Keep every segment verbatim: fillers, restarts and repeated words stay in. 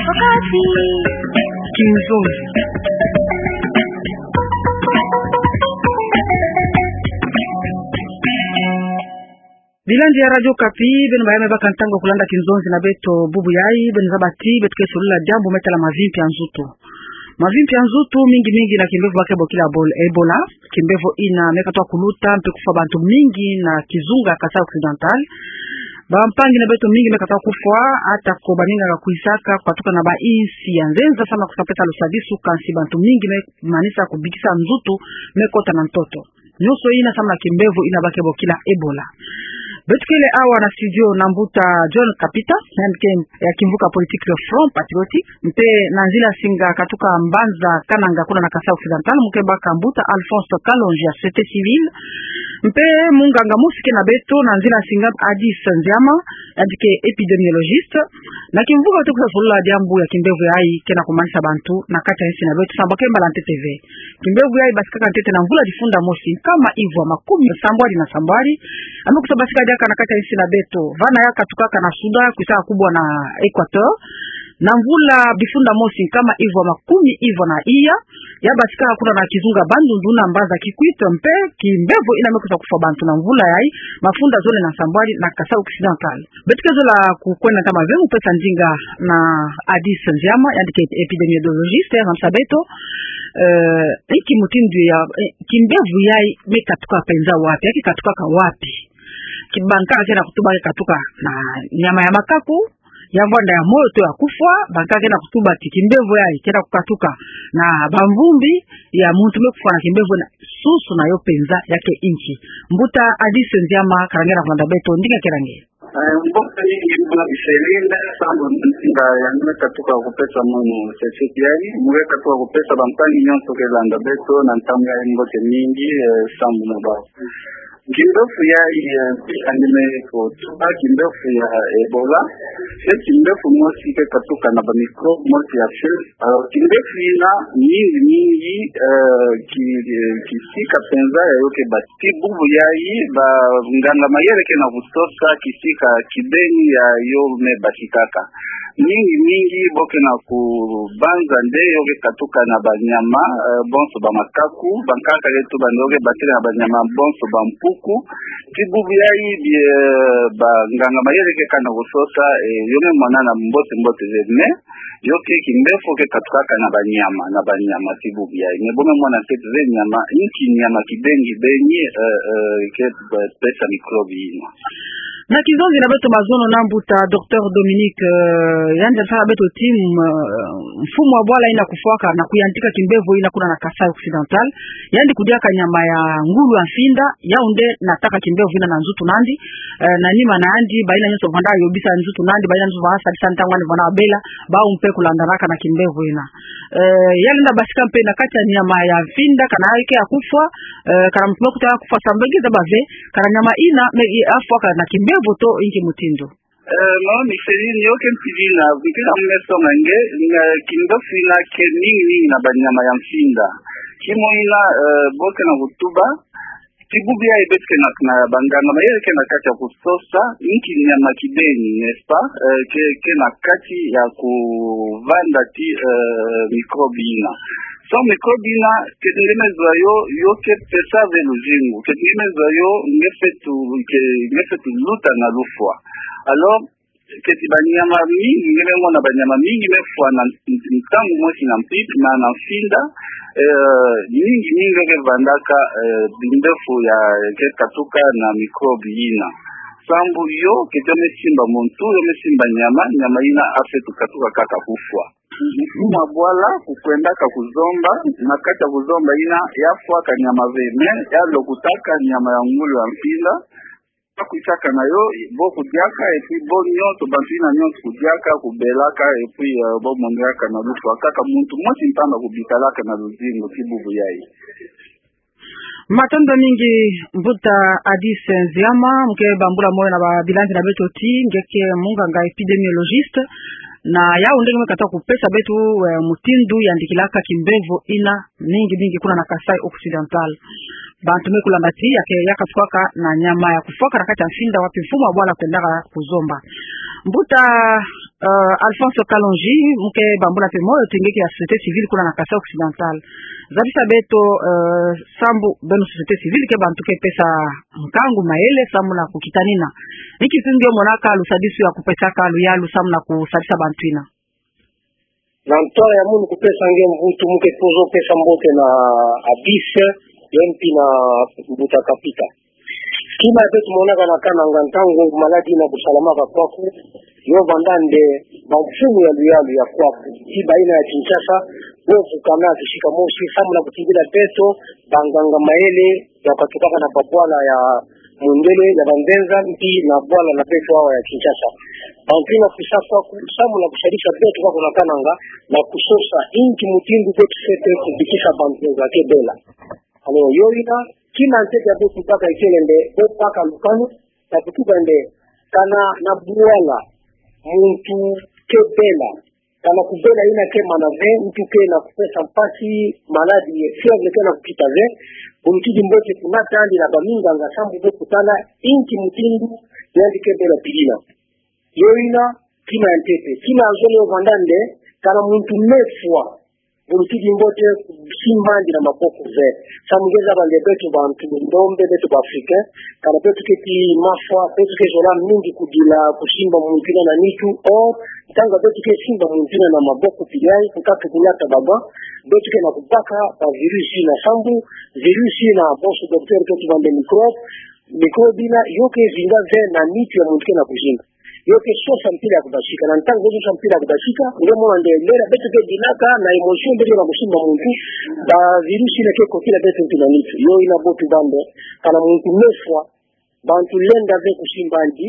Wakati. Kinzonzi. Bilandi ya Radio Okapi, beno baye me baka ntangu ya kulanda kinzonzi na beto bubu yayi, beno zaba ti beto ke solula diambu me tala mavimpi ya nzutu. Mavimpi ya nzutu mingi mingi na kimbevo ba ke bokila Ebola. Kimbevo ina me katuka kuluta mpe kufwa bantu mingi na kizunga Kasaï Occidental. Bampangi na beto mingi me katuka kufwa, ata ko baninga ka kwisaka katuka na ba insi ya nzenza samu na kusa pesa lusadisu, kansi bantu mingi me manisa kubikisa nzutu, me kota na ntoto. Nyonso ina samu na kimbevo ina ba ke bokila Ebola. Beto kele awa na studio na mbuta John Kapita, yandi ke ya kimvuka politique ya Front Patriotique, mpe na nzila singa katuka mbanza Kananga kuna na Kasaï Occidental, mu ke baka mbuta Alphonse Kalonji ya société civile, mpe munganga mosi ke na beto na nzila singa Adis Nziama, yandi ke épidémiologiste. Na kimvuka beto ke solula diambu ya kimbevo yayi ke na kumanisa bantu na kati ya insi na beto, samu ba ke mbala ntete ve. Kimbevo yayi basikaka ntete na mvula difunda mosi nkama ivwa makumi sambwadi na sambwadi. Ame kusa basika diaka na kati ya insi na beto, vana ya katukaka na Soudan, kwisaka kubwa na Équateur. Na mvula difunda mosi nkama ivwa makumi ivwa na iya, ya basikaka kuna na kizunga Bandundu na mbanza Kikwit, mpe kimbevo ina me kusa kufwa bantu na mvula yayi, mafunda zole na sambwadi na Kasaï Occidental. Beto ke zola kukwenda ntama ve mu pesa ndinga na Adis Nziama, yandi ke épidémiologiste, ya zambisa beto, eh, inki mutindu ya, eh, kimbevo yayi me katuka penza wapi, ya ke katukaka wapi? Ki bankaka ke na kutuba ke katuka na nyama ya makaku, ya vwanda ya moyo to ya kufwa, bankaka ke na kutuba ti kimbevo yayi ke na kukatuka na bamvumbi, ya muntu me kufwa na kimbevo na susu na yo penza ya ke inki? Mbuta Adis Nziama, ka langa na kulanda beto ndinga ke langa. Eh, mbote mingi mbuta Micheline, samu na ndinga ya me katuka kupesa munu seseki yayi, mu ke katuka kupesa bampangi nyonso ke landa beto na ntangu yayi mbote mingi, eh, samu na bawu. Kimbevo yayi, eh, tika ni me kutuba kimbevo ya Ebola, se kimbevo mosi ke katuka na ba microbe mosi ya fièvre. Alors, kimbevo ina mingi mingi, eh, ki, eh, kisika penza ya yo ke bati. Ti bubu yayi, banganga mayele ke na kusosa kisika kibeni ya yo me batikaka. Mingi mingi bo ke na kubanza nde yo ke katuka na banyama, eh, bonso ba makaku, bankaka ke tuba nde yo ke batika na banyama bonso ba mpuku. Ti bubu yayi bie, eh, banganga mayele ke ka na kusosa, eh, yo me mwanana mbote mbote ve, mais yo ke kimbevo ke katukaka na banyama, na banyama ti bubu yayi. Mais bo me mwana ntete ve nyama, inki nyama kibeni kibeni, eh, eh, ke, eh, pesa microbe ina. Na kizonzi na beto mazono na mbuta Docteur Dominique, eh, yandi asala beto ti, eh, mfumu wa bwala ina kufwaka na kuyantika kimbevo ina kuna na Kasaï Occidental, yandi kudiaka nyama ya ngulu ya mfinda, yau nde nataka kimbevo ina na nzutu nandi, eh, na nima na yandi, bayina nyonso vwanda yobisa nzutu nandi, bayina nyonso vwanda sadisa ntangu yandi vwanda bela, bau mpe kulandanaka na kimbevo ina. Eh, ya lenda basika mpe na kati ya nyama ya mfinda, kana yo ke ya kufwa, eh, kana muntu me kuta ya kufwa, samu nge zaba ve, kana nyama ina me, i, afwaka na kimbevo to inki mutindu? Eh, mama Micheline, yo ke mpila ina, mpila me songa nge, na kimbevo ina ke mingi mingi na banyama ya mfinda. Kimosi ina, eh, bo ke na kutuba, ti bubu yayi beto ke na, na banganga mayele ke na kati ya kusosa inki nyama kibeni, n'est-ce pas? Eh, ke, ke na kati ya kuvanda ti, eh, microbe ina. Samu microbe ina, keti nge me zwa yo, yo ke pesa ve luzingu. Keti nge me zwa yo, nge fwetu, ke, nge fwetu luta na lufwa. Alors, keti banyama mingi, nge me mona banyama mingi me fwa na n-, n-, ntangu mosi na mpi-, na, na mfinda, eh, mingi mingi ke vandaka, eh, bimbevo ya ke katuka na microbe ina. Samu yo, keti yo me simba muntu, yo me simba nyama, nyama ina afwetu katuka kaka kufwa. Mfumu wa bwala kukwendaka kuzomba, na kati ya kuzomba ina, ya fwaka nyama ve, mais ya lokotaka nyama ya ngulu ya mfinda, ba kwisaka na yo, bo kudiaka, et puis bo nyonso, bantu ina nyonso kudiaka, kubelaka, et puis, euh, bo monaka na lufwa. Kaka muntu mosi mpamba kubitalaka na luzingu ti bubu yayi. Matondo mingi, mbuta Adis Nziama, mu ke bambula moyo na ba bilandi na beto ti nge ke munganga épidémiologiste, na yau nde nge me kata kupesa beto, eh, mutindu yandikilaka kimbevo ina mingi mingi kuna na Kasaï Occidental. bantu me kulanda ti ya ke, ya kasukwaka na nyama ya kufwaka na kati ya mfinda wapi mfumu wa bwala kwendaka kuzomba. Mbuta, eh, Alphonse Kalonji, mu ke bambula mpe moyo ti nge ke ya société civile kuna na Kasaï Occidental. Zabisa beto, eh, sambu beno société civile ke bantu ke pesa nkangu, mayele, sambu na kukitanina. Ni ki nge monaka lusadisu ya kupesaka luyalu sambu na kusadisa bantu ina. Na nto ya munu kupesa nge mvutu, mu ke pozo pesa mbote na Abis, ye mpi na Mbuta Kapita. Kima beto monaka na Kananga ntangu maladie ina kusalamaka kwaku, yo vanda nde bamfumu ya luyalu ya kwaku, ti bayina ya Kinshasa, bo vukana kisika mosi, sambu na kutingila beto banganga mayele, ya katukaka na babwala ya mundele, ya banzenza, mpi na bwala na beto awa ya Kinshasa. Bantu ina kusa kwaku, sambu na kusadisa beto kwaku na Kananga, na kusosa inki mutindu beto fwete kubikisa banzenza ke bela. Alors, yo ina, kima ntete ya beto baka ikele nde, bo baka lukanu, na kutuba nde, kana na bwala, muntu ke bela, kana kubela ina ke mana ve, ntu ke na kupesa mpasi, maladie, fièvre ke na kukita ve, bu lutidi mbote kunata yandi na baminganga sambu bo kutala inki mutindu yandi ke bela pi ina. Yo ina, kima ya ntete. Kima ya zole yo vanda nde, kana muntu mefwa, bu lutidi mbote kusimba'andi na maboko ve. Sambu nge zaba nde beto bantu ndombe, beto ba Africain, kana beto ke ti mafwa, beto ke zola mingi kudila kusimba muntu ina na nitu, or, ntangu beto ke simba muntu ina na maboko pili yayi, nkatu kunata ba gants, beto ke na kubaka ba virus ina sambu, virus ina bonso docteur ke tuba nde microbe, microbe ina, yo ke zinga ve na nitu ya muntu ke na kuzinga. Yo ke sosa mpila ya kubasika. Na ntangu yo sosa mpila ya kubasika, nge mona nde lela beto ke dinaka na émotion, beto na kusimba muntu, ba virus ina ke kotila beto ntu na nitu. Yo ina bo tuba nde, kana muntu mefwa, bantu lenda ve kusimba'andi,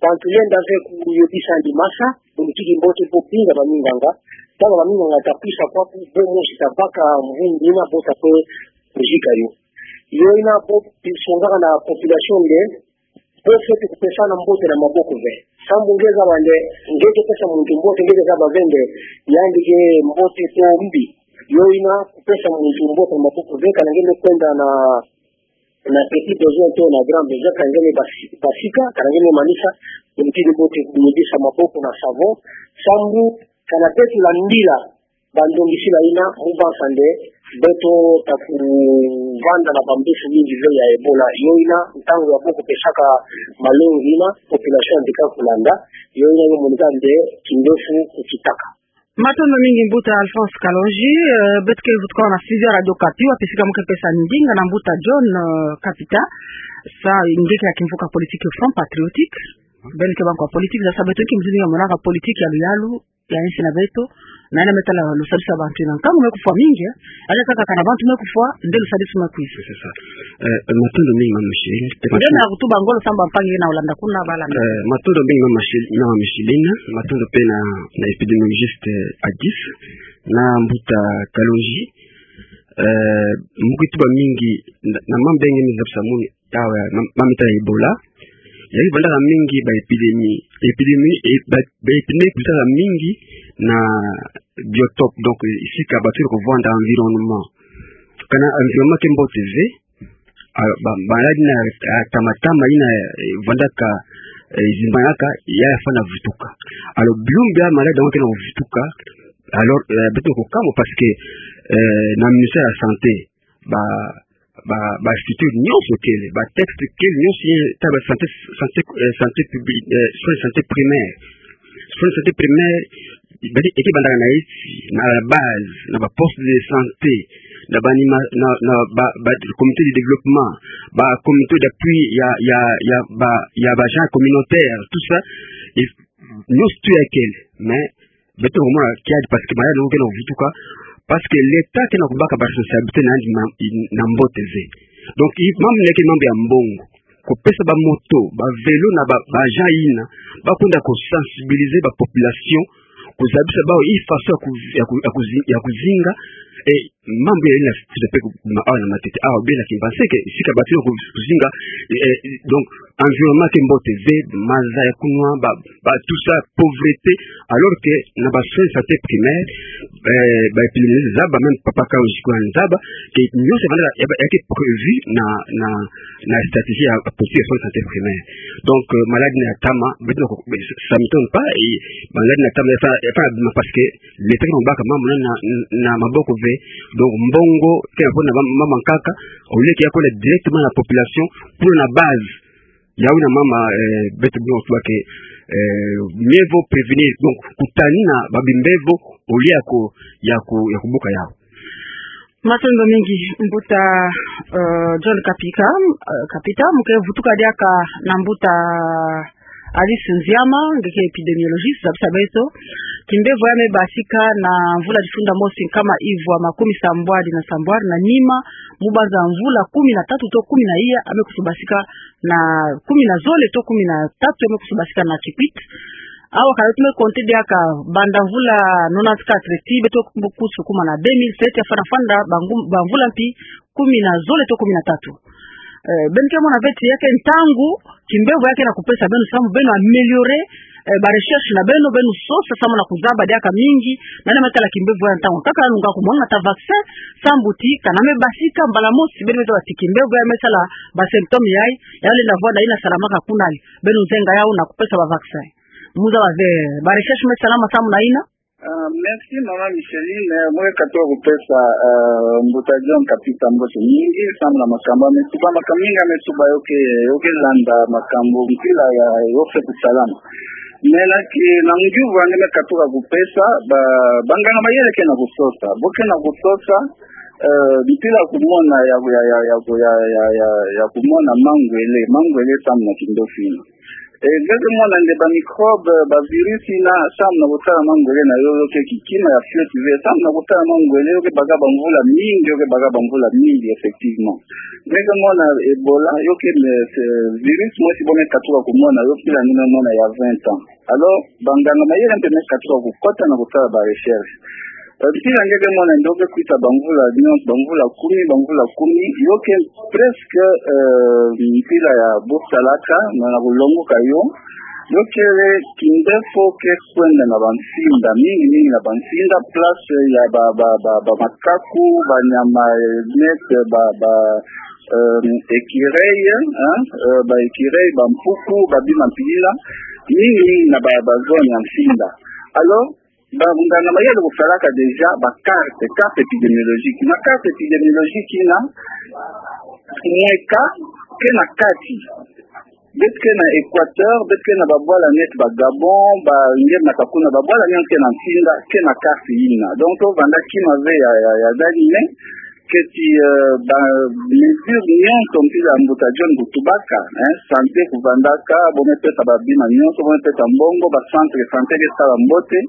bantu lenda ve kuyebisa'andi masa, bu lutidi mbote bo binga baminganga, ntangu baminganga ta kwisa kwaku, bo mosi ta baka mvumbi ina bo ta kwe kuzika yo. Yo ina bo songaka na population nde, bo fwete kupesana mbote na maboko ve. Sambu nge zaba nde, nge ke pesa muntu mbote, nge ke zaba ve nde, yandi ke mbote to mbi. Yo ina kupesa muntu mbote na maboko ve, kana nge me kwenda na, na petit besoin to na grand besoin, kana nge me basi-, basika, kana nge me manisa, bu lutidi mbote kuyebisa maboko na savon, sambu, kana beto landila, bandongisila ina, mu bansa nde, beto ta kuvanda na bambefu mingi ve ya Ebola. Yo ina, ntangu ya bo kupesaka malongi ina, population bika kulanda, yo ina yo monika nde, kindefu kukitaka. Matondo mingi mbuta Alphonse Kalonji, eh, beto ke vutuka na studio ya Radio Okapi, wapi sika mu ke pesa ndinga na mbuta John, eh, Kapita, sa nge ke ya kimvuka politique Front Patriotique, beno ke bantu ya politique, sa beto ke mzini ya monaka politique ya luyalu, ya insi na beto, na ina me tala lusadisu ya bantu ina. Nkangu me kufwa mingi, eh? Allez kaka kana bantu me kufwa, nde lusadisu me kwisa. C'est ça. Eh, matondo mingi mama Micheline. Nge na kutuba ngolo sambu mpangi na Holanda kuna bala. Eh, matondo mingi mama Micheline, mama Micheline, matondo pe na, na épidémiologiste, eh, Adis, na mbuta Kalonji. Eh, mu ke tuba mingi, na, na mambu ya nge me zabisa munu, awa, mam-, mambu ya Ebola. Ya vandaka mingi ba épidémie. Épidémie, e, ba, ba épidémie kutaka mingi na biotope, donc, eh, sika bato kuvanda environnement. Kana environnement ke mbote ve, a, ba, ba maladie ina, a, tama tama ina, eh, vandaka, eh, zimbanaka, ya fwana vutuka. Alors, bilumbu ya maladie yango ke na vutuka, alors, eh, beto kukamwa parce que, eh, na ministère ya santé, ba, ba, ba structure nyonso kele, ba texte kele nyonso ye ta ba santé, santé, eh, santé publique, eh, soins de santé primaire. Soins de santé primaire, ba di, eke bandaka na iti, na la base, na ba poste de santé, na ba anima-, na, na ba, ba comité de développement, ba comité d'appui ya, ya, ya, ba, ya ba agents communautaires, tout ça, et nyonso tu ya kele, mais beto komona kiadi parce que maladie yango ke na vutuka, parce que l'État ke na kubaka ba responsabilité na yandi ma-, na mbote ve. Donc, i-, mambu ina ke mambu ya mbongo. Kupesa ba moto, ba vélo na ba, ba agents ina, ba kwenda kusensibiliser ba population, kuzabisa bawu i façon ya ku-, ya ku-, ya kuzi-, ya kuzinga, Et mambu ya ina site pe ku ma awa na matete awa bena ki mbanse ke sika bato na ku-, kuzinga, eh, donc, environnement ke mbote ve, maza ya kunwa, ba, ba tout ça, pauvreté, alors que na ba soins de santé primaire, eh, ba épidémiologie zaba, même papa ka ozi ko zaba, ke nyonso ya banda ya, ya ke prévu na, na, na stratégie ya politique ya soins de santé primaire. Donc, euh, maladie na tama, beto na ko-, ça m'étonne pas, et maladie na tama, enfin, enfin, parce que l'État ke na baka mambu na, na, na maboko ve. Donc, mbongo ke na pona mama, mama nkaka, au lieu ke ya kwenda directement na population, pour na base. Yawu na mama, eh, beto bino tuba ke, eh, mieux vaut prévenir. Donc, kutani na ba bimbevo, au lieu ya ku-, ya ku-, ya kubuka yawu. Matondo mingi, mbuta, euh, John Kapika, euh, Kapita, mu ke vutuka diaka na mbuta Alice Nziama, nge ke épidémiologiste, zabisa beto. Kimbevo ya me basika na mvula difunda mosi nkama ivwa makumi sambwadi na sambwadi na nima, mu banza mvula kumi na tatu to kumi na iya, ya me kusu basika na kumi na zole to kumi na tatu, ya me kusu basika na Kikwit. Awa ka beto me compter diaka banda mvula nonante-quatre ti beto kusu kuma na deux mille sept, ya fana fanda ba ngu-, ba mvula mpi kumi na zole to kumi na tatu. Eh, beno ke mona ve ti ya ke ntangu, kimbevo ya ke na kupesa beno samu beno améliorer, eh, ba recherche na beno, beno sosa samu na kuzaba diaka mingi, nani ya me tala kimbevo ya ntangu. Kaka nunga kumona ata vaccin, samu ti, kana me basika mbala mosi, beno me zaba ti kimbevo ya me sala ba symptôme yayi, ya lenda vwanda ina salamaka kuna ali. Beno nzenga yawu na kupesa ba vaccin. Mu zaba ve, ba recherche me salama samu na ina. Ah, merci, Mama Micheline. Eh, mu ke katuka kupesa, eh, mbuta John Kapita mbote mingi, samu na makambu ya me tuba, makambu mingi ya me tuba yo ke, yo ke landa makambu mpila ya, yo ke kusalama. Mais na ki, na ngiuvu ya nge me katuka kupesa, ba, banganga mayele ke na kusosa. Bo ke na kusosa, eh, mpila kumona ya, ya, ya kumona mangwele, mangwele samu na kindoki ina. Eh, nge ke mona nde ba microbe, ba virus ina, samu na kutala mangwele na yo, yo ke kikima ya fioti ve, samu na kutala mangwele, yo ke baka ba mvula mingi, yo ke baka ba mvula mingi, effectivement. Nge ke mona Ebola, yo ke me, se, virus mosi bo me katuka kumona, yo mpila nge me mona ya vingt ans. Alors, banganga mayele mpe me katuka kukota na kutala ba recherche. Eh, mpila nge ke mona nde ke kwisa ba mvula nyonso, ba mvula kumi, ba mvula kumi, yo ke presque, eh, mpila ya bo salaka, na, na kulongoka yo, yo kele kindefu ke kwenda na ba mfinda, mingi, mingi na ba mfinda, place ya ba, ba, ba, ba makaku, ba nyama, eh, net, ba, ba, eh, écureuil, hein, eh, ba écureuil, ba mpuku, ba bima mpi yina, mingi, mingi na ba, ba zone ya mfinda. Alors, banganga mayele kusalaka déjà ba carte, carte épidémiologique. Na carte épidémiologique ina, mweka ke na kati. Beto ke na Équateur, beto ke na ba bwala neti ba Gabon, ba nge na kakuna ba bwala nyonso ke na mfinda, ke na carte ina. Donc, to vanda kima ve ya, ya, ya dani me, ke ti, eh, ba mesure nyonso mpila mbuta John kutubaka, hein, santé kuvandaka, bo me pesa ba bima nyonso, bo me pesa mbongo, ba centre santé ke sala mbote.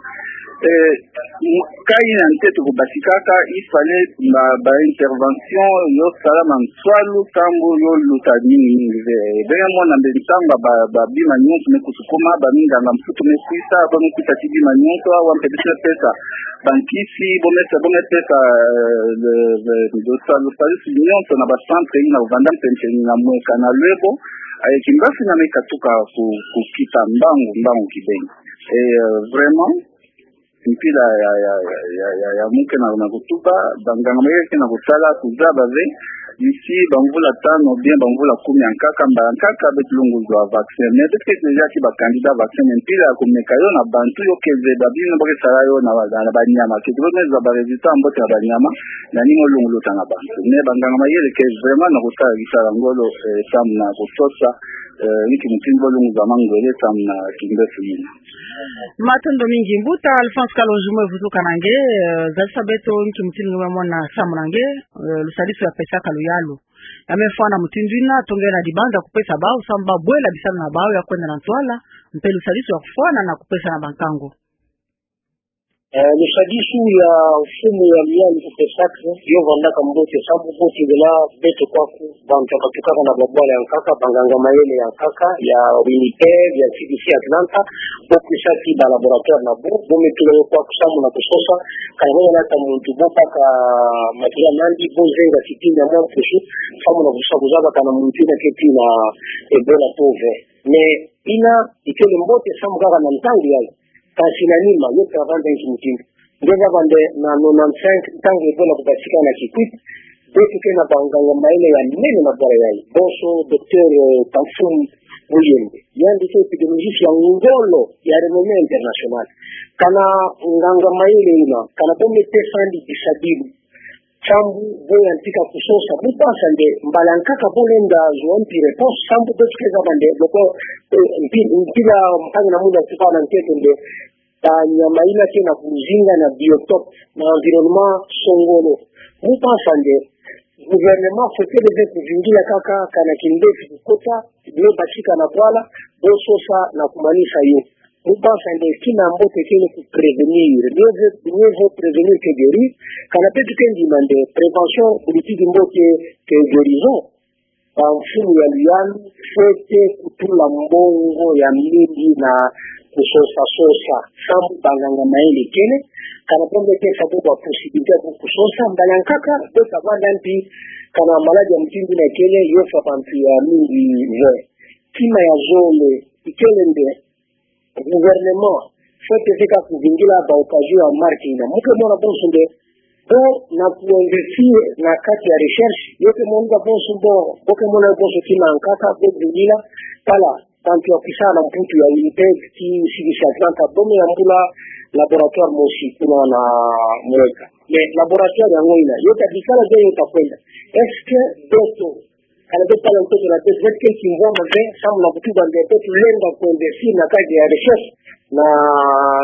Eh, m-, ka ina ntete kubasikaka, il fallait ba, ba intervention yo salama nswalu, samu yo luta mingi, mingi ve. Beno mona nde ntangu ba, ba bima nyonso me kusukuma, ba minganga mputu me kwisa, ba me kwisa ti bima nyonso, awa mpe beto me pesa ba nkisi, bo me sa, bo me pesa, eh, le, le, le sa-, le salusi nyonso na ba centre ina kuvanda mpe mpe na mweka na lwebo, eh, kimbafi na me katuka ku, kukita mbangu, mbangu kibeni. Et, euh, vraiment, mpila ya, ya, ya mu ke na, na kutuba, banganga mayele ke na kusala, kuzaba ve, d'ici ba mvula tanu, bien ba mvula kumi ya nkaka, mbala nkaka beto lunguzwa vaccin. Mais beto ke déjà ti ba candidat vaccin, mais mpila ya kumeka yo na bantu yo ke zeba bima bo ke sala yo na ba, na, na ba nyama. Ke ti bo me zwa ba résultat mbote na ba nyama, nani mo lunguluta na bantu. Mais banganga mayele ke vraiment na kusala, kisala ngolo, eh, samu na kusosa, eh, nki mutindu bo lunguzwa mangwele samu na kindefu ina. Matondo mingi. Mbuta Alphonse Kalonji, mu ke vutuka na nge, eh, zalisa beto nki mutindu nge me mona samu na nge, eh, lusadisu ya pesaka luyalu. Ya me fwana mutindu ina, tongela dibanza kupesa bawu, samu ba bwela bisalu na bawu ya kwenda na ntwala, mpe lusadisu ya kufwana na kupesa na bankango. Eh, lusadisu ya mfumu ya Luyalu kupesaka, yo vandaka mbote, sambu mbote ngela beto kwaku, bantu batukaka na babwala ya nkaka, banganga mayele ya nkaka, ya Winnipeg, ya C D C Atlanta, bo kwisa ti ba laboratoire na bo, bo me tula yo kwaku samu na kusosa, ka yo na ta muntu bo baka matériel nandi, bo zenga sitini ya mwa mpusu, samu na kusosa kuzaba kana muntu ina keti na Ebola to ve. Mais ina ikele mbote samu kaka na ntangu yayi. Kasi na nima, yo travail nde nki mutindu. Nge baba nde na nonante-cinq, ntangu Ebola kubatika na Kikwit, beto ke na banganga mayele ya nene na bwala yayi. Bonso, docteur, eh, Tamfum Muyembe. Yandi ke épidémiologiste ya ngolo, ya renommée internationale. Kana nganga mayele ina, kana bo me pesa yandi bisabilu. Sambu bo yantika kusosa, bo pasa nde, mbala nkaka bo lenda zwa mpi réponse, sambu beto ke zaba nde, loko, eh, mpi, mpila mpangi na munda tuka na nkete nde, banyama ina ke na kuzinga na biotope, na environnement songolo. Bo pasa nde, gouvernement fwete leve kuvingila kaka, kana kindefi kukota, bima batika na bwala, bo sosa na kumanisa yo. Bo pasa nde kina mbote kele ku prévenir. Mieux vaut, mieux vaut prévenir que guérir. Kana beto ke ndima nde prévention, bu lutidi mbote que guérison. Bamfumu ya Luyalu, fwete kutula mbongo ya mingi na kusosa sosa. Sambu banganga mayele kele. Kana bo me pesa bo ba possibilité bo kusosa. Mbala nkaka, bo sa vanda mpi, kana maladie ya mutindu ina kele, yo sa bantu ya mingi ve. Kima ya zole, ikele nde, gouvernement, fwete zeka kuvingila ba occasion ya marque ina. Mu ke mona bonso nde, bo na ku investir na kati ya recherche, yo ke mona bonso bo, bo ke mona bonso kima nkaka, bo vingila, tala, bantu ya kwisa na Mputu ya Winnipeg, ti C D C Atlanta, bo me yambula laboratoire mosi kuna na mweka. Mais laboratoire yango ina, yo ta bikala ve, yo ta kwenda. Est-ce que beto kana beto tala ntoto na beto, beto ke kimvwama ve, samu na kutuba nde beto lenda kwenda si na kati ya recherche, na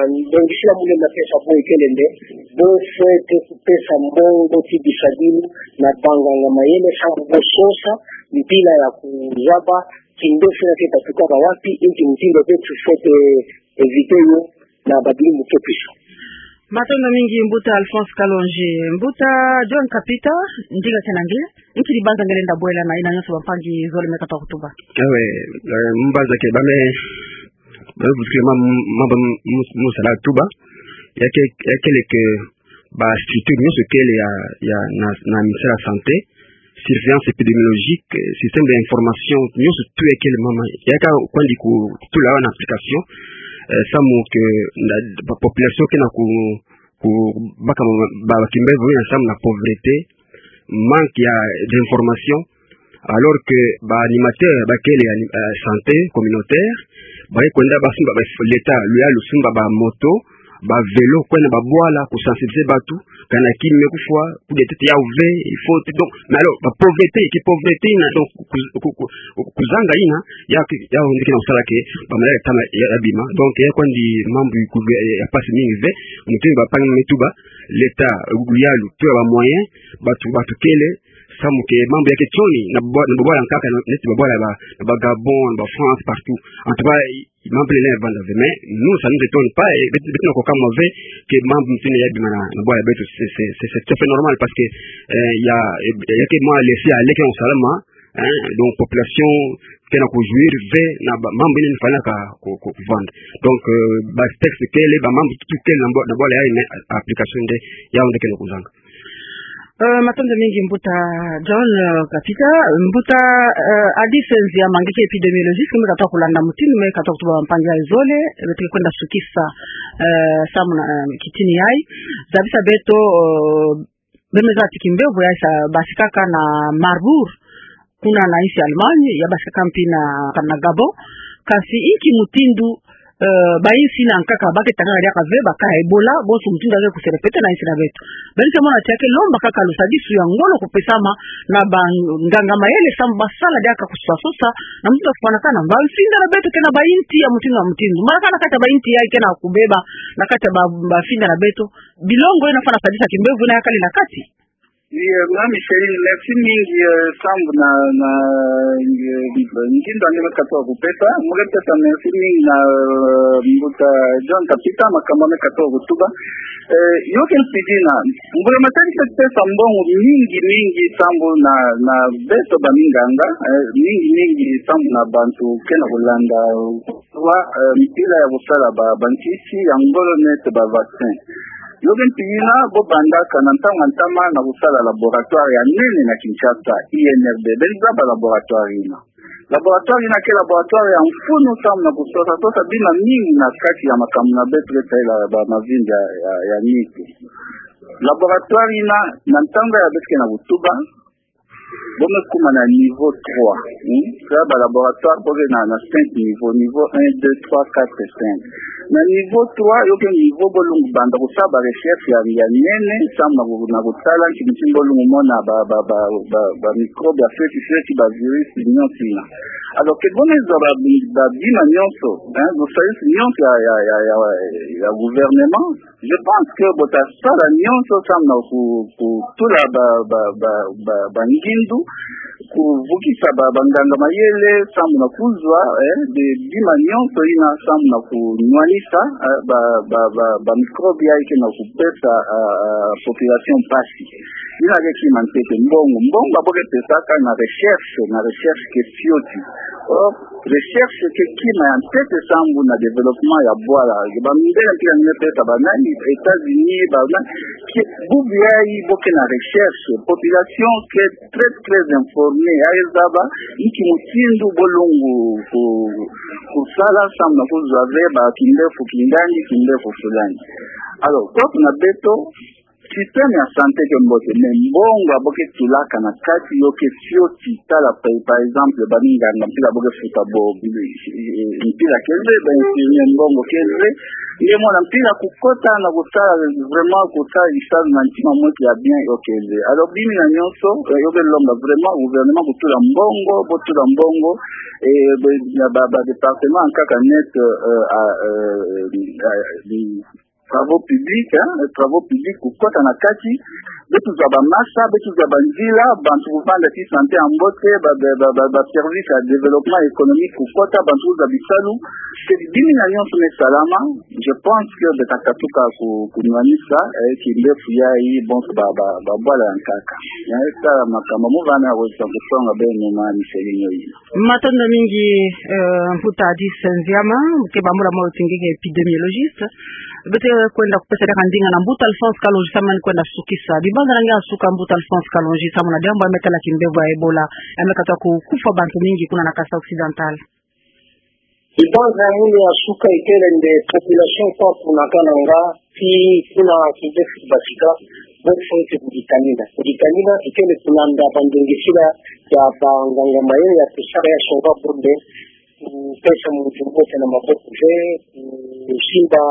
ndongisila mule na pesa bo ikele nde, bo fwete kupesa mbongo ti bisabilu, na banganga mayele, samu bo sosa, mpila ya kuzaba, kindefi ina ke ta tukaka wapi, inki mutindu beto fwete éviter yo, na babilumbu ke kwisa. Matondo mingi, Mbuta Alphonse Kalonji. Mbuta John Kapita, ndinga kena nge, nki dibanza nge lenda bwela na ina nyonso bampangi zole me katuka kutuba? Ewe, eh, mbanza ke ba me, ba me vutukila ma, ma, ma, mu, mu sala tuba. Ya ke, ya kele que ba structure nyonso kele ya, ya na, na ministère ya santé, surveillance épidémiologique, eh, système d'information, nyonso tout ya kele mama, ya ka kwandi kutula yo na application, eh, samu que na, ba population ke na ku, ku baka ba, ba, ba kimbemvo ina samu na pauvreté, manque ya d'information, alors que ba animateur ba kele ya, eh, santé communautaire, ba ke kwenda ba sumba ba, l'État, Luyalu sumba ba moto, ba vélo, kwenda ba bwala, ku sensibiliser batu, kana ki me kufwa, coup de tête yau ve, il faut, donc, mais alors, ba pauvreté, ki pauvreté ina, donc, ku, ku, ku, kuzanga ina, ya, ya, ndike na kusala ke, ba maladi tama ya, ya bima, donc, ya kwandi mambu ku, ya, ya mpasi mingi ve, mutindu bampangi me tuba, l'État, Luyalu, pe ba moyen, batu, batu kele, samu que mambu ya ke tioni, na bwa-, na babwala nkaka, na, neti babwala ba, na ba Gabon, na ba France, partout. En tout cas, mambu lele vanda ve, mais nous, ça nous étonne pas, et beto, beto na koka mwa ve, que mambu mutindu ya bima na, na bwala beto, c'est, c'est, c'est, c'est tout à fait normal, parce que, euh, ya, eh, ya ke mwa laisser aller ke na salama, hein, donc population, ke na ku jouir ve, na ba, mambu ina fana ka, ku, ku, kuvanda. Donc, euh, ba texte kele, ba mambu tout kele na bwa-, na bwala ya, mais application nde, yau nde ke na kuzanga. Euh, matondo mingi Mbuta John, euh, Kapita, Mbuta, euh, Adi Senzia Mangeke, épidémiologiste, me katuka kulanda mutindu me katuka kutuba bampangi ya zole, beto ke kwenda sukisa, euh, samu na, euh, kitini yayi, zabisa beto, euh, bemeza ti kimbemvo yayi sa basikaka na Marbourg, kuna na insi Allemagne, ya basikaka mpi na, na Gabon. Kasi inki mutindu, eh, ba insi ina nkaka ba ke tangaka diaka ve ba cas ya Ebola, bonso mutindu ya ke ku se répéter na insi na beto. Beno ke mona ti ya ke lomba kaka lusadisu ya ngolo kupesama na banganga mayele samu ba sala diaka kusosa sosa, na mutindu ya kufwanakana. Ba mfinda na beto ke na ba inti ya mutindu na mutindu. Mbala kana kati ya ba inti yayi ke na kubeba, na kati ya ba, ba mfinda na beto. Bilongo ina fwana sadisa kimbemvo ina ya kali na kati. Iyo, Mama Micheline, merci mingi, eh, sambu na, na, eh, ngindu ane me katuka kupesa. Mu ke pesa merci mingi na, eh, Mbuta John Kapita, makambu ane katuka kutuba. Eh, yo ke mpidina, mbula matadi pe tupesa mbongo mingi mingi sambu na, na beto baminganga, eh, mingi mingi sambu na bantu ke na kulanda wa, eh, mpila ya kusala ba, bankisi ya ngolo nete ba vaccin. Yo ke mpidina, bo bandaka na ntangu ya ntama na kusala laboratoire ya nene na Kinshasa, I N R B. Beno zaba laboratoire ina. Laboratoire ina ke laboratoire ya mfunu sambu na kusosa, sosa bima mingi na kati ya makambu na beto ke tala ba mavimbi ya, ya, ya nitu. Laboratoire ina, na ntangu ya beto ke na kutuba, bo me kuma na niveau trois. Hmm? Sa ba laboratoire bo ke na, na cinq niveau, niveau un, deux, trois, quatre, cinq. Na niveau trois, yo ke niveau bo lungu banda kusala ba recherche ya, ya nene, sambu na ku-, na kutala nki mutindu bo lungu mona ba, ba, ba, ba, ba microbe ya fioti fioti, ba virus, nyonso ina. Alors que bo me zaba ba, ba bima nyonso, hein, bo service nyonso ya, ya, ya, ya, ya gouvernement, je pense que bo ta sala nyonso sambu na ku-, kutula ba, ba, ba, ba, ba ngindu, kuvukisa ba, banganga mayele, sambu na kuzwa, eh, be bima nyonso ina sambu na kunwanisa, eh, ba, ba, ba, ba microbe ya ke na kupesa, ah, ah, population mpasi. Ina ke kima ntete, mbongo. Mbongo ba bo ke pesaka na recherche, na recherche ke fioti. Or, recherche ke kima ya ntete sambu na développement ya bwala. Ba mindele mpila ni me pesa ba nani, États-Unis, ba nani, ke bubu yayi bo ke na recherche. Population ke très, très informée. Ya zaba nki mutindu bo lungu ku-, kusala sambu na kuzwa ve ba kimbefu kingandi, kimbefu fulani. Alors, kwetu na beto, système ya santé ke mbote, mais mbongo ya bo ke tulaka na kati yo ke fioti. Tala pa, par exemple, baminganga mpila bo ke futa bo, eh, mpila ke nze, ba infirmier mbongo ke nze, nge mona mpila kukota na kutala, vraiment kutala, isali na ntima mwe ya bien, yo ke nze. Alors, bima nyonso, eh, yo ke lomba vraiment gouvernement kutula mbongo, bo tula mbongo, eh, be, ya ba, ba département nkaka nete, eh, a, eh, a, travaux publics, hein, travaux publics kukota na kati, beto zaba masa, beto zaba nzila, bantu kuvanda ti santé ya mbote, ba, ba, ba, ba, ba service ya développement économique kukota, bantu kuzwa bisalu, ke bima nyonso me salama, je pense que beto ta katuka ku-, kunwanisa, eh, kimbefu yayi, bonso ba, ba, ba bwala ya nkaka. Ya, eh, tala makambu, mu vana wesa kusonga beno ma miselinyo yi. Matondo mingi, eh, Mbuta Adis Nziama, ke bambula mwa uti nge ke épidémiologiste. Beto kwenda kupesa diaka ndinga na Mbuta Alphonse Kalonji sambu na kwenda sukisa. Dibanza na nge ya suka, Mbuta Alphonse Kalonji, sambu na diambu ya me tala kimbevo ya Ebola, ya me katuka kukufa bantu mingi kuna na Kasaï Occidental. Dibanza ya munu ya suka ikele nde population kwa kuna kananga, ti kuna kimbefu batika, bo fwete kuditanina. Kuditanina ikele kulanda bandungisila ya banganga mayele ya tusaka ya songa bonde, kupesa muntu mbote na maboko ve, kusimba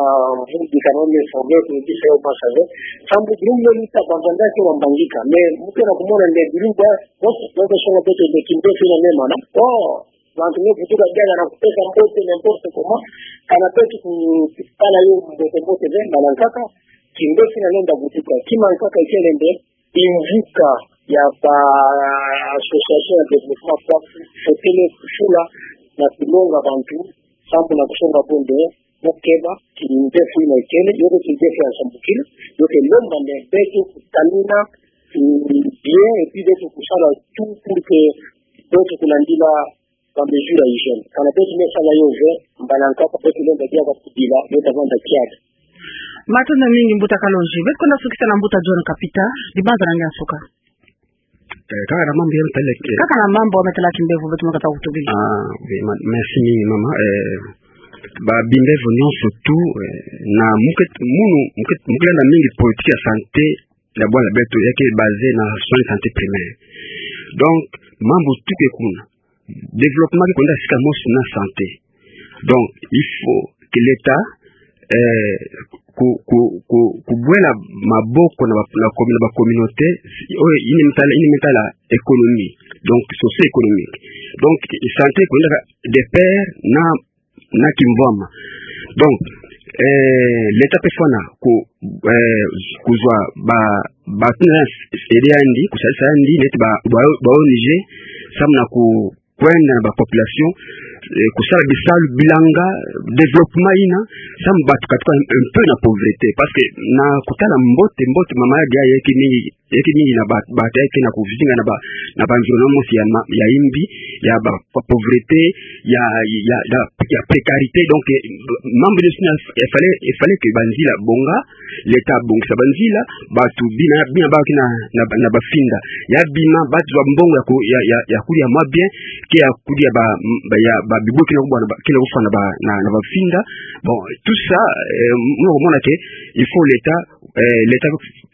mvumbi kana me songe, kubisa yo basa ve. Sambu bilumbu ni ta banganga ke bambangika. Mais mu ke na kumona nde bilumbu ya, bo, bo songa beto nde kimbefu ina me mana. Oh, bantu me vutuka diaka na kupesa mbote n'importe comment, kana beto ku-, kutala yo mbote mbote ve, mbala nkaka, kimbefu ina lenda vutuka. Kima nkaka ikele nde, mvuka ya ba association ya développement kwa, fwete kusula na kulonga bantu, sambu na kusonga bonde, mu keba, kimbefu ina ikele, yo ke kimbefu ya nsambukila, yo ke lomba nde beto kutanina, mm, bien, et puis beto kusala tout pour que beto kulandila ba mesure ya hygiène. Kana beto me sala yo ve, mbala nkaka beto lenda diaka kudila, yo ta vanda kiadi. Matondo mingi Mbuta Kalonji. Beto kwenda sukisa na Mbuta John Kapita, dibanza na nge ya suka. Eh, kaka na mambu ya me tala ke. Kaka na mambu ya me tala kimbevo beto me kata kutubila. Ah, oui, ma-, merci mingi mama. Eh, ba bimbevo nyonso tout, eh, na mu ke, munu, mu ke, mu ke landa mingi politique ya santé, ya bwala beto, ya ke basé na soins de santé primaire. Donc, mambu tout ke kuna. Développement ke kwenda sika mosi na santé. Donc, il faut que l'État, eh, ku-, ku-, ku-, kubwela maboko na ba, na commu-, na ba communauté, oyo yina me tala, yina me tala économie. Donc, socio-économique. Donc, santé kwenda de pair na na kimvwama. Donc, eh, l'État pe fwana ku, eh, kuzwa ba, ba tuna ede yandi, kusalisa yandi, neti ba, ba, ba O N G, samu na ku, kwenda na ba population, eh, kosala bisalu, bilanga, développement yina, samu bato katuka un peu na pauvreté. Parce que na kotala mbote, mbote mama ya dia yeke mingi, yeke mingi na ba, bato yeke na kozinga na ba, na ba environnement mosi ya ma, ya imbi, ya ba, ba pauvreté, ya, ya, ya, ya précarité. Donc, eh, mambu nyonso yina, il fallait, il fallait que banzila bonga, l'État abongisa banzila, bato bima, bima bake na, na, na bafinda. Ya bima, bato zwa mbongo ya ko, ya, ya, ya kudi ya mwa bien, ke ya kudi ya ba, ba, ya ba bibo ke na kubwa na ba, ke na kufwa na ba, na, na bafinda. Bon, tout ça, eh, muna komona que, il faut l'État, eh, l'État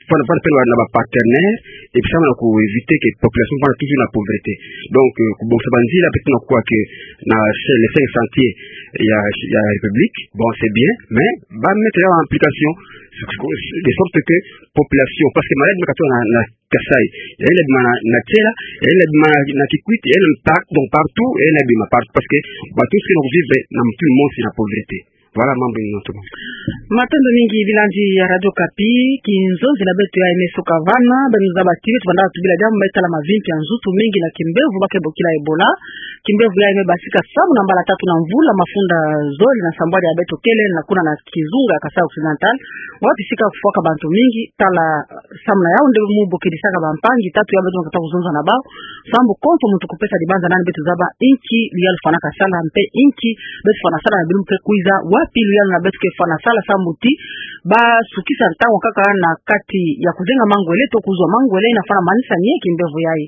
fwana, fwana pelwa na ba partenaires, et puis samu na ko éviter que population fwana toujours na pauvreté. Donc, eh, kobongisa banzila, peut-être na kuwa que na, c'est le cinq chantiers ya, ya République, bon, c'est bien, mais ba mettre ya en application, de sorte que population, parce que maladi ma katuka na, na Kasaï, ya ina bima na, na Tsela, ya ina bima na, na Kikwit, ya ina par-, donc partout, ya ina bima partout, parce que bato nyonso ke na kovivre na mutindu mosi na pauvreté. Voilà, mambu ina tout. Matondo mingi bilandi ya Radio Okapi, kinzonzi na beto ya M S O Kavana, beno zaba ti beto banda tubila diambu me tala mavimpi ya nzutu mingi na kimbevo ba ke bokila Ebola. Kimbevo yayi me basika samu na mbala tatu na mvula, mafunda zole na sambwadi ya beto kele na kuna na kizunga ya Kasaï Occidental, wapi sika kufwaka bantu mingi, tala samu na yau nde mu bokedisaka bampangi tatu ya beto kata kuzonza na bau, sambu konso muntu kupesa dibanza nani beto zaba inki luyalu fwanaka sala, mpe inki beto fwana sala na bilumbu ke kwiza, wapi luyalu na beto ke fwana sala sambu ti ba sukisa ntangu kaka na kati ya kuzenga mangwele to kuzwa mangwele, ina fwana manisa ni kimbevo yayi.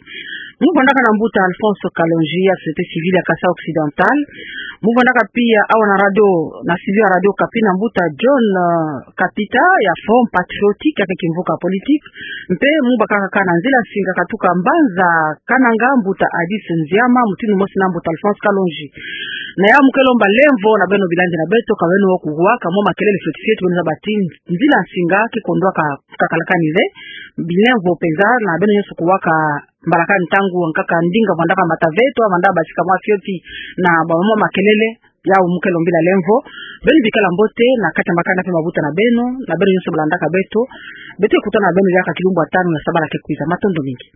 Mu vandaka na mbuta Alphonse Kalonji ya société civile ya Kasaï Occidental. Mu vandaka pia awa na radio, na studio ya Radio Okapi na mbuta John, eh, Kapita ya Front Patriotique ya ke kimvuka politique. Mpe mu bakaka kaka na nzila nsinga katuka mbanza Kananga, mbuta Adis Nziama, mutindu mosi na mbuta Alphonse Kalonji. Na yau mu ke lomba lemvo na beno bilandi na beto, ka beno kuwaka mwa makelele fioti fioti, beno zaba ti nzila nsinga ke kondwaka kakalakani ze, bilemvo penza na beno nyonso kuwaka mbalakani ntangu wankaka ndinga vandaka mbata veto, vanda basika mwa fioti na ba mwa makelele, yau mu ke lombila lemvo. Beno bikala mbote na kati ya makanda mpe mabuta na beno, na beno nyonso balandaka beto. Beto ke kutana na beno diaka kilumbu ya tanu ya sabala ke kwiza. Matondo mingi.